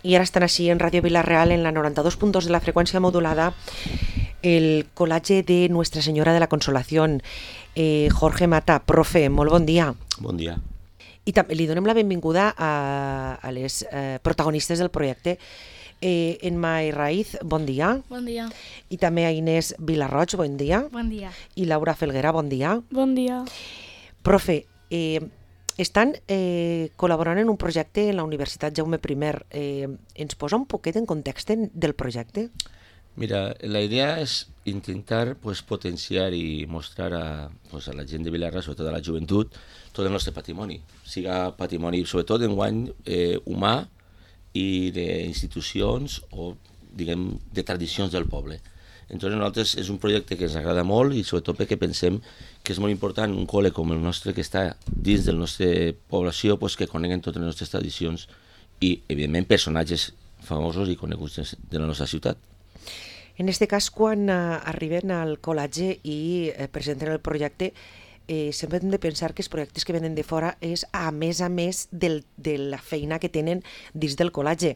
I ara estan així en Ràdio Vila-real en la 92.2 de la freqüència modulada el col·legi de Nuestra Senyora de la Consolación. Jorge Mata, profe, molt bon dia. Bon dia. I també li donem la benvinguda a les protagonistes del projecte. Emma Herraiz, bon dia. Bon dia. I també a Inés Vilarroig, bon dia. Bon dia. I Laura Felguera, bon dia. Bon dia. Profe, estan col·laborant en un projecte en la Universitat Jaume I. Ens posa un poquet en context del projecte? Mira, la idea és intentar potenciar i mostrar a la gent de Vilarra, sobretot a la joventut, tot el nostre patrimoni. Siga patrimoni, sobretot enguany, humà i d'institucions o, diguem, de tradicions del poble. Entonces, nosaltres és un projecte que ens agrada molt i sobretot perquè pensem que és molt important un col·le com el nostre que està dins de la nostra població que coneguen totes les nostres tradicions i, evidentment, personatges famosos i coneguts de la nostra ciutat. En aquest cas, quan arriben al col·legi i presenten el projecte, sempre hem de pensar que els projectes que venen de fora és a més de la feina que tenen dins del col·legi.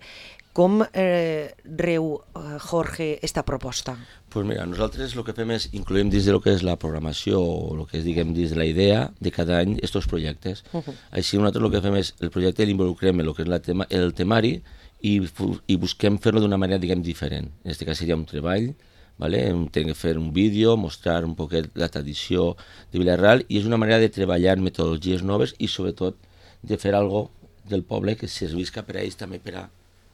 Com reu, Jorge, esta proposta? Pues mira, nosaltres el que fem és incloem dins de lo que és la programació o el que és, diguem, dins de la idea de cada any estos projectes. Així nosaltres el que fem és el projecte l'involucrem en el que és el temari i busquem fer-lo d'una manera, diguem, diferent. En aquest cas seria un treball, ¿vale? Tenim que fer un vídeo, mostrar un poquet la tradició de Vila-real i és una manera de treballar metodologies noves i sobretot de fer algo del poble que servisca per a ells també per a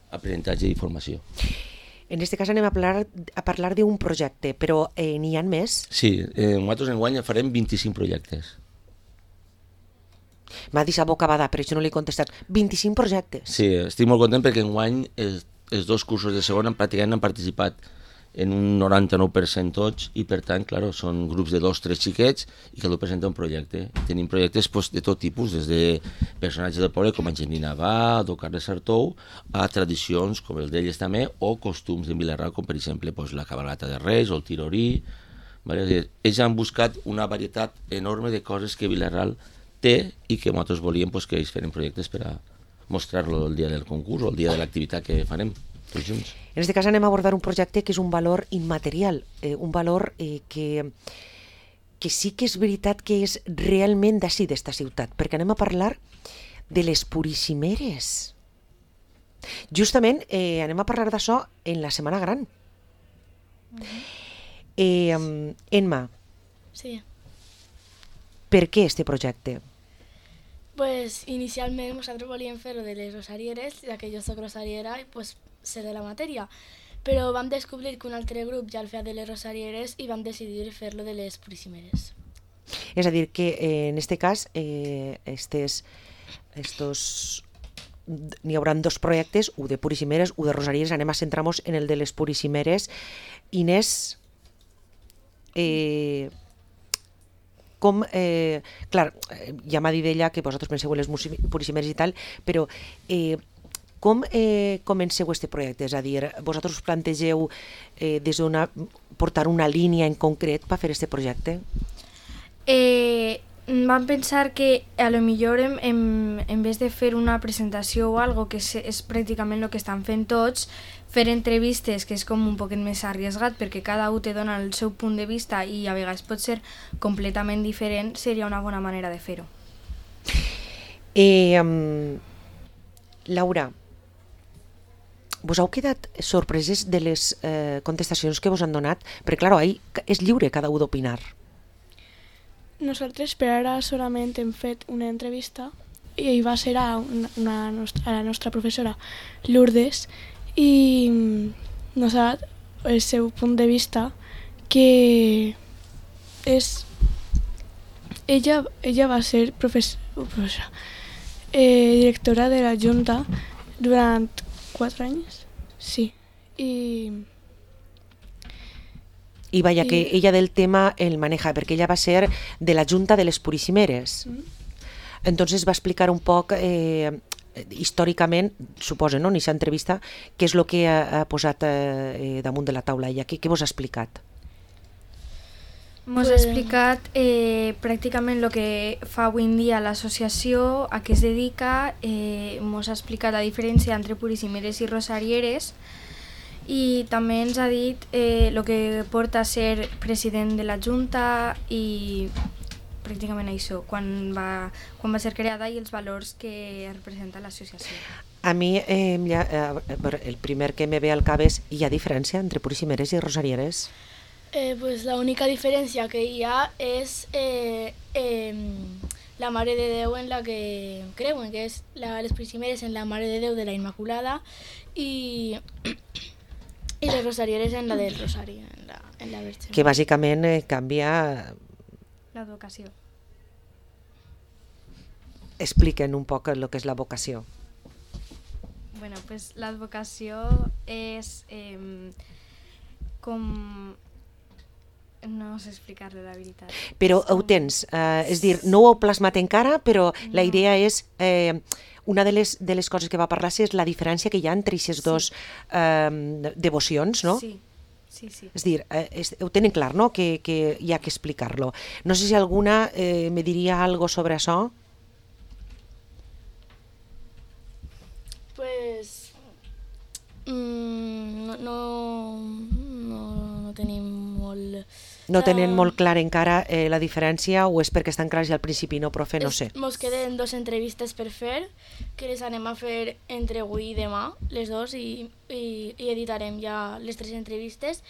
aprenentatge i formació. En aquest cas anem a parlar d'un projecte, però n'hi ha més? Sí, nosaltres enguany farem 25 projectes. M'ha deixat bocabada, per això no li he contestat. 25 projectes? Sí, estic molt content perquè enguany els dos cursos de segon pràcticament han participat en un 99% tots i per tant, clar, són grups de 2 o 3 xiquets i cada un presenta un projecte. Tenim projectes de tot tipus, des de personatges del poble com Angelina Abad o Carles Sartou a tradicions com el d'elles també o costums de Vila-real com per exemple la cabalgata de Reis o el tirorí. Ells han buscat una varietat enorme de coses que Vila-real té i que nosaltres volíem que ells feren projectes per a mostrar-lo el dia del concurs o el dia de l'activitat que farem tots junts. En aquest cas anem a abordar un projecte que és un valor immaterial, un valor que sí que és veritat que és realment d'ací, d'esta ciutat, perquè anem a parlar de les Purissimeres. Justament anem a parlar d'això en la Setmana Gran. Emma, Sí. per què este projecte? Pues inicialment nosaltres volíem fer-ho de les rosarieres, ja que jo soc rosariera i pues sé de la matèria. Però vam descobrir que un altre grup ja el feia de les rosarieres i vam decidir fer-lo de les Purissimeres. És a dir, que en este cas n'hi haurà dos projectes, un de Purissimeres, un de Rosarieres. Anem a centrar-nos en el de les Purissimeres. Inés, clar, ja m'ha dit ella que vosaltres penseu en les Purissimeres i tal, però com comenceu este projecte? És a dir, vosaltres us plantegeu portar una línia en concret per fer este projecte? Vam pensar que a lo millor en vez de fer una presentació o algo, que és pràcticament el que estan fent tots, fer entrevistes, que és com un poquet més arriesgat perquè cada un te dona el seu punt de vista i a vegades pot ser completament diferent, seria una bona manera de fer-ho. Laura, vos heu quedat sorpreses de les contestacions que vos han donat? Perquè, clar, ahí és lliure cada un d'opinar. Nosaltres per ara solament hem fet una entrevista i va ser a la nostra professora Lourdes i nos ha dat el seu punt de vista que és... Ella va ser professora, directora de la Junta durant 4 anys, sí, I vaya, que ella del tema el maneja, perquè ella va ser de la Junta de les Purissimeres. Entonces va explicar un poc històricament, suposo, no, en aquesta entrevista, què és el que ha posat damunt de la taula ella, què vos ha explicat? Mos ha explicat pràcticament el que fa avui en dia l'associació, a què es dedica, mos ha explicat la diferència entre puricimeres i rosarieres i també ens ha dit el que porta a ser president de la Junta i pràcticament això, quan va ser creada i els valors que representa l'associació. A mi el primer que me ve al cap és, hi ha diferència entre puricimeres i rosarieres? Pues la única diferència que hi ha és la Mare de Déu en la que creuen, que és les puricimeres en la Mare de Déu de la Immaculada i les rosarieres en la del Rosari, en la Verge. Que bàsicament canvia... L'advocació. Expliquen un poc el que és la vocació. Bueno, pues l'advocació és com... No sé explicar-lo, la veritat. Però ho tens, és dir, no ho heu plasmat encara, però la idea és, una de les coses que va parlar és la diferència que hi ha entre aquestes dues devocions, no? Sí. És dir, ho tenen clar, no?, que hi ha que explicar-lo. No sé si alguna me diria algo sobre això. Pues no tenim molt... No tenen molt clar encara la diferència o és perquè estan clars ja al principi, no, profe? No sé. Mos queden 2 entrevistes per fer, que les anem a fer entre avui i demà, les 2, i editarem ja les 3 entrevistes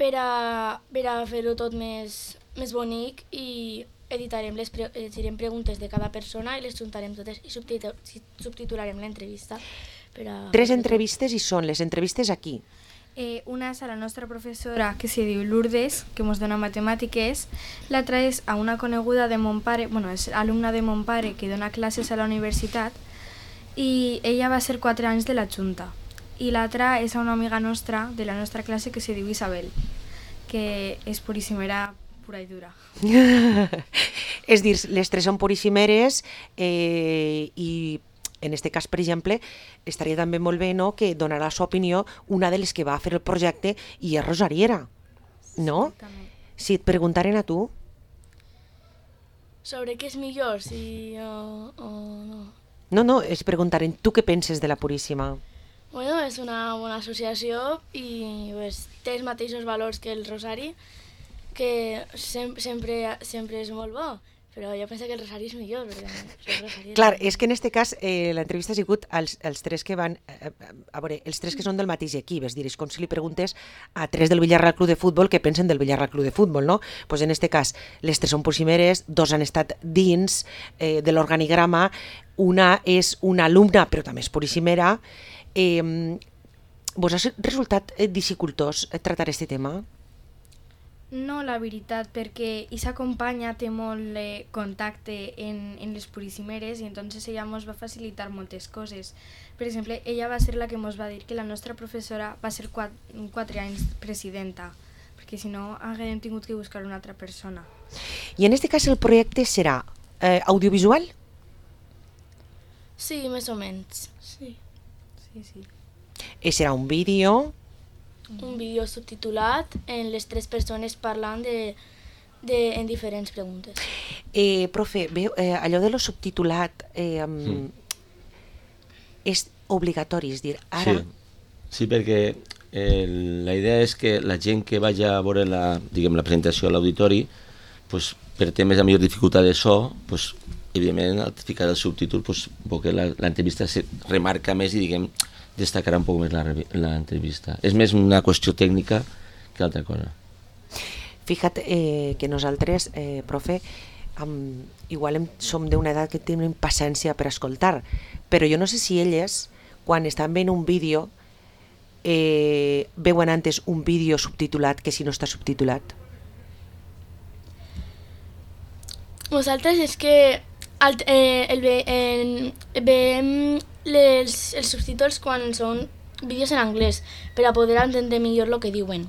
per a fer-ho tot més bonic i llegirem preguntes de cada persona i les juntarem totes i subtitularem l'entrevista. 3 entrevistes i són les entrevistes aquí. Una és a la nostra professora que se diu Lourdes, que ens dona matemàtiques, l'altra és a una coneguda de mon pare, és alumna de mon pare que dona classes a la universitat i ella va ser 4 anys de la Junta. I l'altra és a una amiga nostra de la nostra classe que se diu Isabel, que és purísimera pura i dura. És dir, les 3 són puríssimeres i en aquest cas, per exemple, estaria també molt bé, no?, que donarà la seva opinió una de les que va fer el projecte i és rosariera, no? Si et preguntaren a tu... Sobre què és millor, si o no? No, es preguntaren tu què penses de la Puríssima. Bueno, és una bona associació i pues, té els mateixos valors que el Rosari, que sempre és molt bo. Però jo penso que el Rosari és millor. Clar, és que en aquest cas l'entrevista ha sigut els 3 que van... A veure, els 3 que són del mateix equip, és dir, és com si li preguntes a 3 del Villarreal Club de Futbol què pensen del Villarreal Club de Futbol, no? Doncs en aquest cas, les 3 són puricimeres, 2 han estat dins de l'organigrama, una és una alumna, però també és puricimera. Vos ha resultat dificultós tractar aquest tema? No, la veritat, perquè aquesta companya té molt contacte en les puricimeres i entonces ella ens va facilitar moltes coses. Per exemple, ella va ser la que ens va dir que la nostra professora va ser 4 anys presidenta, perquè si no haguem tingut que buscar una altra persona. I en aquest cas el projecte serà audiovisual? Sí, més o menys. Sí. Serà un vídeo... Un vídeo subtitulat en les 3 persones parlant en diferents preguntes. Profe, allò de lo subtitulat és obligatori, és dir, ara... Sí, perquè la idea és que la gent que vagi a veure la presentació a l'auditori, pues, per temes de millor dificultat de so, pues, evidentment al ficar el subtítol que l'entrevista se remarca més i destacarà un poc més l'entrevista. És més una qüestió tècnica que altra cosa. Fija't que nosaltres, profe, igual som d'una edat que tenim paciència per escoltar, però jo no sé si elles, quan estan veient un vídeo, veuen antes un vídeo subtitulat que si no està subtitulat. Nosaltres és que veiem els subtítols quan són vídeos en anglès per a poder entendre millor el que diuen,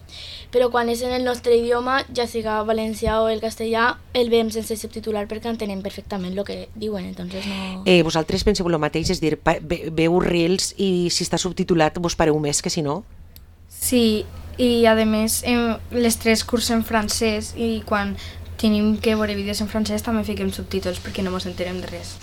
però quan és en el nostre idioma, ja siga valencià o el castellà, el veiem sense subtitular perquè entenem perfectament el que diuen, entonces no... Vosaltres penseu el mateix, és dir, veu reels i si està subtitulat vos pareu més que si no? Sí, i a més les 3 cursen francès i quan tenim que veure vídeos en francès també fiquem subtítols perquè no ens enterem de res.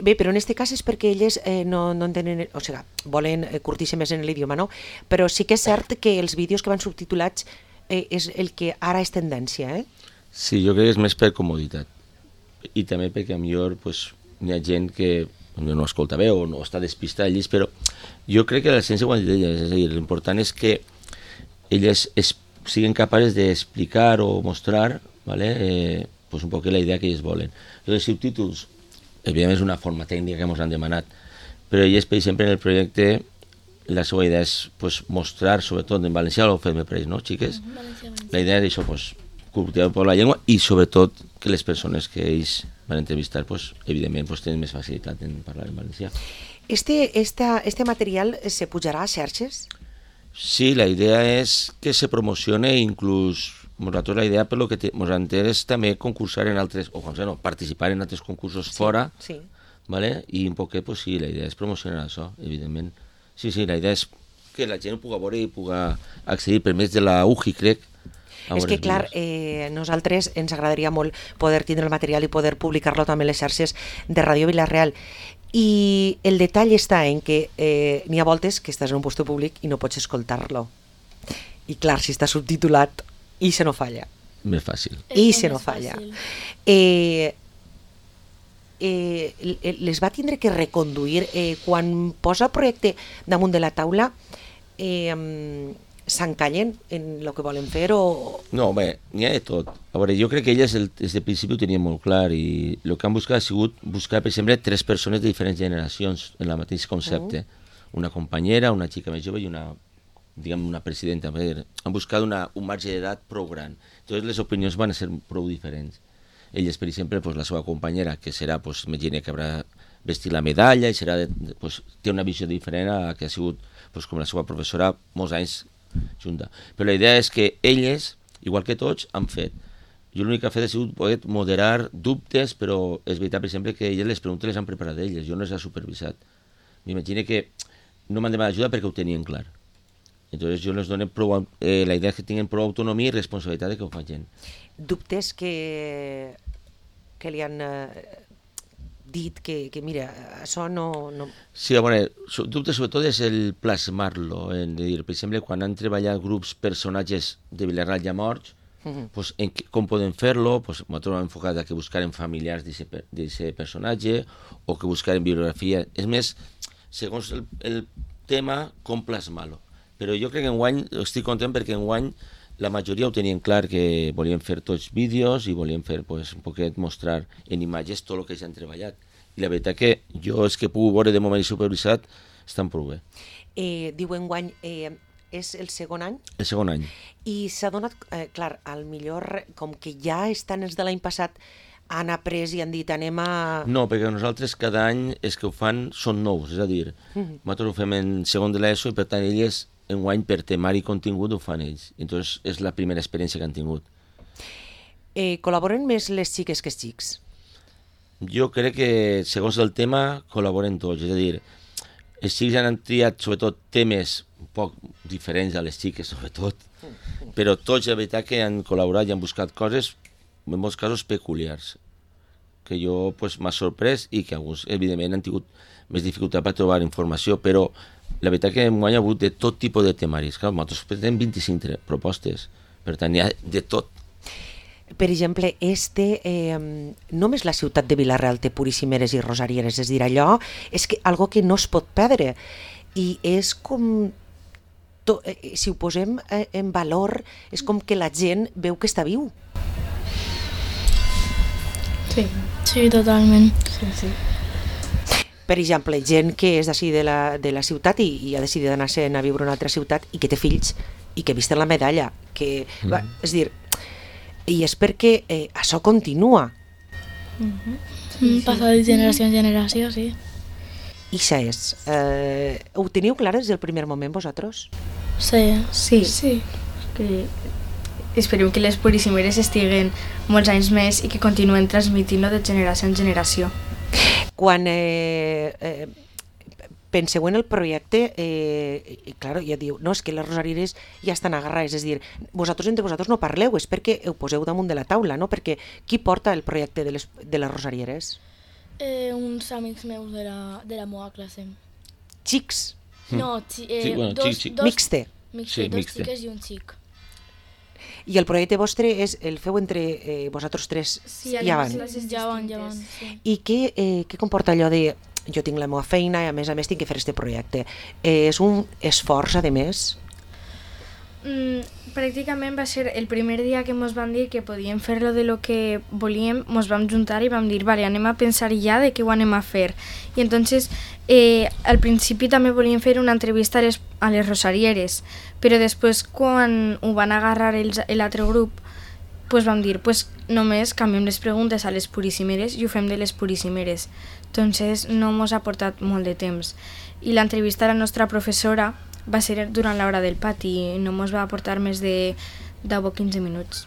Bé, però en aquest cas és perquè elles no entenen, o sigui, volen curtir-se més en l'idioma, no? Però sí que és cert que els vídeos que van subtitulats és el que ara és tendència, Sí, jo crec que és més per comoditat. I també perquè millor pues, hi ha gent que no escolta bé o no està despistada al llis, però jo crec que la ciència ho ha dit elles, és a dir, l'important és que elles siguin capaces d'explicar o mostrar, ¿vale? Pues un poc la idea que ells volen. Els subtítols, evidentment és una forma tècnica que ens han demanat, però ells, per exemple, en el projecte, la seva idea és pues, mostrar, sobretot en valencià, ho fem per ells, no, xiques? La idea és això, pues, cultivar per la llengua i sobretot que les persones que ells van entrevistar, pues, evidentment, pues, tenen més facilitat en parlar en valencià. Este material se pujarà a xarxes? Sí, la idea és que se promocione i inclús nosaltres la idea per lo que ens entén és també concursar en altres, o no, participar en altres concursos fora, sí. ¿vale? I un poquet, pues sí, la idea és promocionar això, evidentment. Sí, la idea és que la gent ho pugui veure i pugui accedir per més de la UJI, crec. És que, clar, nosaltres ens agradaria molt poder tindre el material i poder publicar-lo també a les xarxes de Ràdio Vila-real. I el detall està en que n'hi ha voltes que estàs en un lloc públic i no pots escoltar-lo. I clar, si està subtitulat, i se no falla. Més fàcil. I se no falla. Les va tindre que reconduir quan posa el projecte damunt de la taula, s'encallen en el que volen fer o... No, bé, n'hi ha de tot. A veure, jo crec que elles des del principi ho tenien molt clar i el que han buscat ha sigut buscar, per exemple, 3 persones de diferents generacions en el mateix concepte. Una companyera, una xica més jove i una presidenta. Han buscat un marge d'edat prou gran. Entonces les opinions van ser prou diferents. Elles, per exemple, pues, la seva companyera, que serà, pues, imagina que haurà vestit la medalla i serà pues, té una visió diferent a que ha sigut pues, com la seva professora molts anys junta. Però la idea és que elles, igual que tots, han fet. Jo l'únic que ha fet ha sigut poder moderar dubtes, però és veritat, per exemple, que elles les preguntes les han preparat elles, jo no les he supervisat. M'imagino que no m'han demanat ajuda perquè ho tenien clar. Entonces jo les dono la idea és que tinguin prou autonomia i responsabilitat de que ho facin. Dubtes que li han dit que mira, això no... Sí, a veure, dubtes sobretot és el plasmar-lo, per exemple, quan han treballat grups personatges de Vila-real ja morts, pues, com podem fer-lo, pues, nosaltres hem enfocat a que buscaren familiars d'aquest personatge o que buscaren bibliografia. És més, segons el tema, com plasmar-lo. Però jo crec que enguany estic content perquè enguany la majoria ho tenien clar que volien fer tots vídeos i volien fer pues, un poquet mostrar en imatges tot el que ja han treballat. I la veritat que jo és que puc veure de moment supervisat estan prou bé. Diu enguany, és el segon any? El segon any. I s'ha donat, clar, al millor, com que ja estan els de l'any passat, han après i han dit anem a... No, perquè nosaltres cada any els que ho fan són nous, és a dir, nosaltres ho fem en segon de l'ESO i per tant elles enguany per temari i contingut ho fan ells. Entonces és la primera experiència que han tingut. Col·laboren més les xiques que els xics? Jo crec que segons el tema col·laboren tots, és a dir, els xics han triat sobretot temes un poc diferents a les xiques sobretot, però tots la veritat que han col·laborat i han buscat coses en molts casos peculiars, que jo pues, m'ha sorprès i que alguns evidentment han tingut més dificultat per trobar informació, però la veritat que hem hagut de tot tipus de temaris. Clar, nosaltres tenim 25 propostes, per tant hi ha de tot. Per exemple, només la ciutat de Vila-real té puríssimeres i rosarieres, és a dir, allò és que algo que no es pot perdre i és com, si ho posem en valor, és com que la gent veu que està viu. Sí, totalment. Sí. Per exemple, gent que és d'ací de la ciutat i ha decidit anar-se'n a viure a una altra ciutat i que té fills i que visten la medalla, que, és dir, i és perquè això continua. Passar de generació en generació, sí. I això és. Ho teniu clar des del primer moment, vosaltres? Sí. Que esperem que les puríssimeres estiguen molts anys més i que continuen transmitint-lo de generació en generació. Quan, penseu en el projecte, claro, ja diu, no, és que les rosarieres ja estan agarrades, és dir, vosaltres entre vosaltres no parleu, és perquè ho poseu damunt de la taula, no? Perquè qui porta el projecte de les rosarieres? Uns amics meus de la meva classe. Xics? No, xic. Mixte. Sí, dos mixte. xiques i un xic. I el projecte vostre el feu entre vosaltres tres Sí, i avant. Ja van, sí. I què comporta allò de jo tinc la meva feina i a més tinc que fer este projecte? És un esforç, a més? Pràcticament va ser el primer dia que ens van dir que podíem fer-lo de lo que volíem, ens vam juntar i vam dir, vale, anem a pensar ja de què ho anem a fer. I entonces, al principi també volíem fer una entrevista a les rosarieres, però després quan ho van agarrar l'altre grup, pues vam dir, pues només canviem les preguntes a les puríssimeres i ho fem de les puríssimeres. Entonces no ens ha portat molt de temps. I l'entrevista a la nostra professora va ser durant l'hora del pati i no ens va aportar més de 10 o 15 minuts.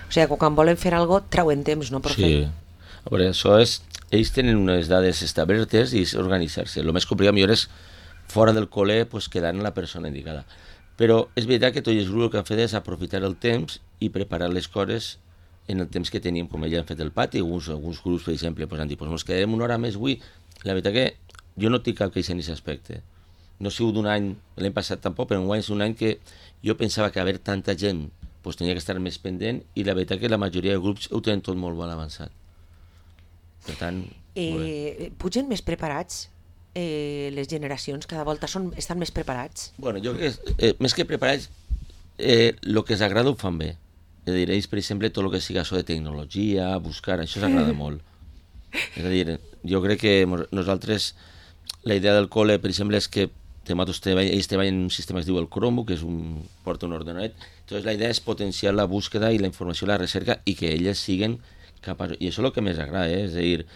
O sigui, quan volen fer alguna cosa, trauen temps, no, profe? Sí. A veure, això és... Ells tenen unes dades establertes i és organitzar-se. El més complicat millor és fora del col·le pues, quedar en la persona indicada. Però és veritat que tots els grups el que han fet és aprofitar el temps i preparar les coses en el temps que teníem, com ella han fet el pati. Alguns grups, per exemple, pues, han dit, pues, ens quedarem una hora més avui. La veritat que jo no tinc cap queixa en aquest aspecte. No ha sigut un any, l'any passat tampoc, però enguany és un any que jo pensava que haver tanta gent pues, tenia que estar més pendent i la veritat que la majoria de grups ho tenen tot molt ben avançat. Per tant, pugen més preparats? Les generacions cada volta estan més preparats? Bueno, jo crec que més que preparats, el que els agrada ho fan bé. És a dir, ells, per exemple, tot el que siga això de tecnologia, buscar, això s'agrada molt. És a dir, jo crec que nosaltres, la idea del col·le, per exemple, és que ells treballen en un sistema que es diu el Chromebook, que porta un ordenador. Entonces, la idea és potenciar la búsqueda i la informació i la recerca i que elles siguin capaços. I això és el que més agrada, és a dir,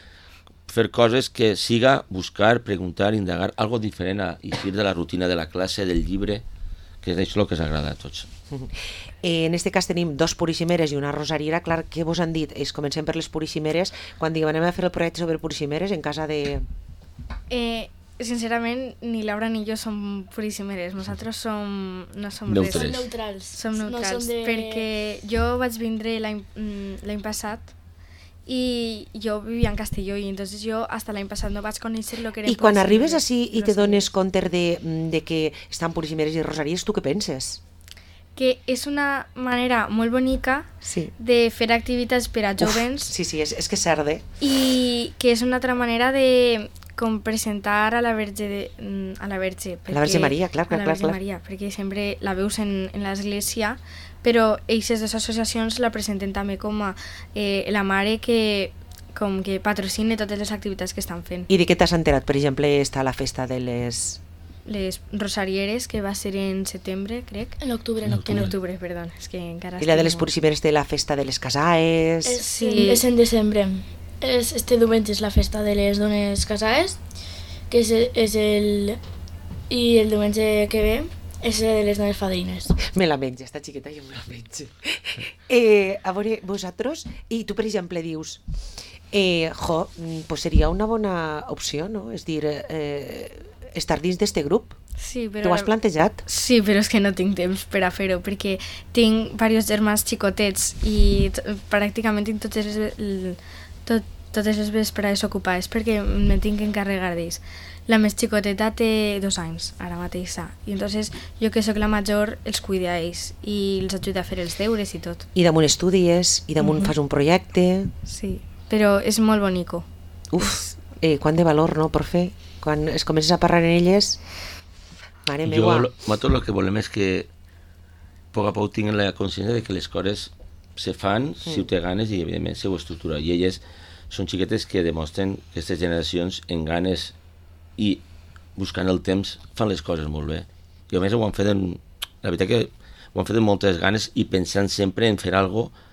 fer coses que siga buscar, preguntar, indagar, algo diferent a eixir de la rutina de la classe, del llibre, que és això el que ens agrada a tots. En este cas tenim 2 puríssimeres i una rosariera. Clar, què vos han dit? Comencem per les puríssimeres. Quan diguem anem a fer el projecte sobre puríssimeres en casa de... Sincerament, ni Laura ni jo som puríssimeres. Nosaltres no som neutres. Som neutrals, perquè jo vaig vindre l'any passat i jo vivia en Castelló i entonces jo hasta l'any passat no vaig conèixer lo que eren. I quan arribes així i te dones compte de que estan puríssimeres i rosaries, tu què penses? Que és una manera molt bonica de fer activitats per a jovens. Sí, és que s'arde. I que és una altra manera de com presentar a la Verge a la Verge Maria, clar. A la Verge Maria, perquè sempre la veus en l'església, però aquestes dues associacions la presenten també com a la mare que patrocina totes les activitats que estan fent. I de què t'has enterat? Per exemple, està la festa de les rosarieres, que va ser en setembre, crec. En octubre, perdó. És que encara... I la de les puríssimeres de la festa de les casaes... Sí, és en desembre. Este diumenge és la festa de les dones casades, que és el diumenge que ve és de les dones fadrines. Me la menja, esta xiqueta, jo me la menjo. A veure, vosaltres, i tu per exemple dius, pues seria una bona opció, no? És dir, estar dins d'este grup. Sí, però... T'ho has plantejat? Sí, però és que no tinc temps per a fer-ho, perquè tinc diversos germans xicotets i pràcticament tinc totes les vesprades ocupades perquè me tinc que encarregar d'ells. La més xicoteta té 2 anys, ara mateix, i entonces jo que sóc la major els cuido a ells i els ajudo a fer els deures i tot. I damunt estudies, i damunt fas un projecte... Sí, però és molt bonico. Quant de valor, no, per fer? Quan es comences a parlar en elles... Mare meua. Nosaltres el que volem és que a poc a poc tinguin la consciència de que les coses se fan si ho té ganes i evidentment se ho estructura. I elles són xiquetes que demostren que aquestes generacions en ganes i buscant el temps fan les coses molt bé. I a més ho han fet la veritat que ho han fet amb moltes ganes i pensant sempre en fer alguna cosa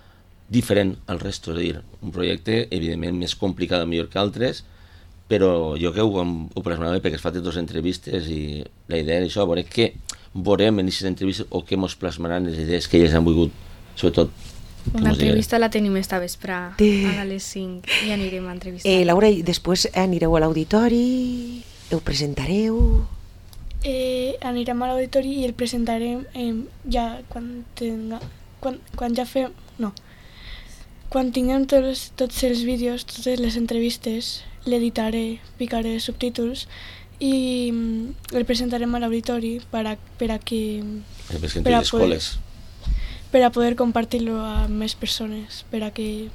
diferent al resto, és a dir, un projecte evidentment més complicat millor que altres, però jo que ho plasmava perquè es fa 2 entrevistes i la idea és això, veure què veurem en aquestes entrevistes o què ens plasmaran les idees que elles han volgut, sobretot. Una entrevista la tenim esta vespre a les 5 i anirem a entrevistar. Laura, i després anireu a l'auditori... Ho presentareu? Anirem a l'auditori i el presentarem ja quan ja fem... No. Quan tinguem tots els vídeos, totes les entrevistes, l'editaré, ficaré subtítols i el presentarem a l'auditori per a poder compartir-lo amb més persones, per a que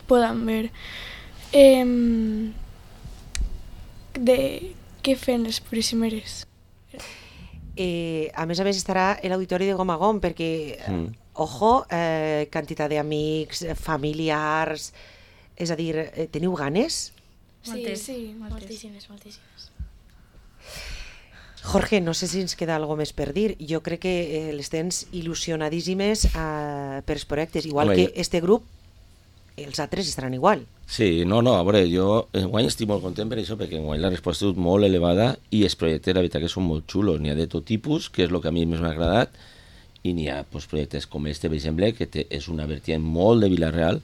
puedan ver de què fem les primeres. A més estarà l'auditori de Gom a Gom, perquè, ojo, quantitat d'amics, familiars, és a dir, teniu ganes? Sí, moltíssimes. Jorge, no sé si ens queda alguna més per dir. Jo crec que les tens il·lusionadíssimes per els projectes, igual que este grup, els altres estaran igual. Sí, no, a veure, jo enguany estic molt content per això, perquè enguany la resposta ha sigut molt elevada i els projectes, la veritat, que són molt xulos. N'hi ha de tot tipus, que és el que a mi més m'ha agradat, i n'hi ha projectes com este, per exemple, que és una vertiente molt de Vila-real,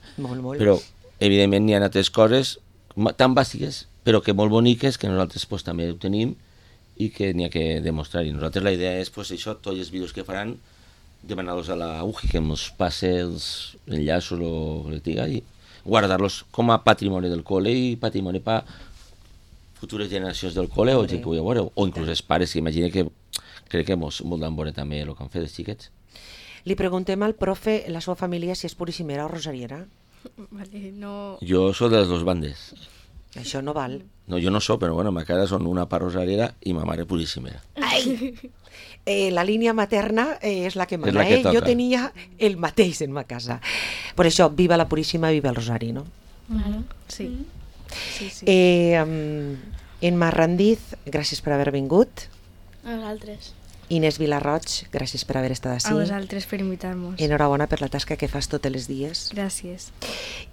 però, evidentment, n'hi ha altres coses tan bàsiques, però que molt boniques, que nosaltres també ho tenim i que n'hi ha que demostrar. I nosaltres la idea és, això, tots els vídeos que faran, demanar-los a la UGI que ens passi els enllaços o que diga i guardar-los com a patrimoni del col·le i patrimoni per futures generacions del col·le o gent que ho vulgui veure, o inclús els pares, que imagina que crec que ens voldran veure també el que han fet els xiquets. Li preguntem al profe, la seva família, si és purissimera o rosariera. Vale, no... Jo soc de les dues bandes. Això no val. No, jo no soc, però bueno, ma cara són una part rosariera i ma mare purissimera. Ai! La línia materna és la que mana, és la que toca. Jo tenia el mateix en ma casa. Per això, viva la Puríssima, viva el Rosari, no? Sí. En Marrandiz, gràcies per haver vingut. A vosaltres. Inés Vilarroig, gràcies per haver estat ací. A vosaltres per invitar-nos. Enhorabona per la tasca que fas tots els dies. Gràcies.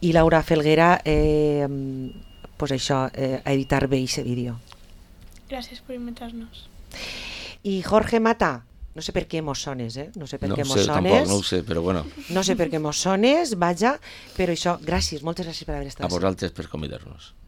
I Laura Felguera, pues això, a editar bé aquest vídeo. Gràcies per invitar-nos. I Jorge Mata, no sé per què mos sones, No sé per què mos sones. Tampoc, no ho sé, però bueno. No sé per què mos sones, vaja, però això, gràcies, moltes gràcies per haver estat a vosaltres per convidar-nos.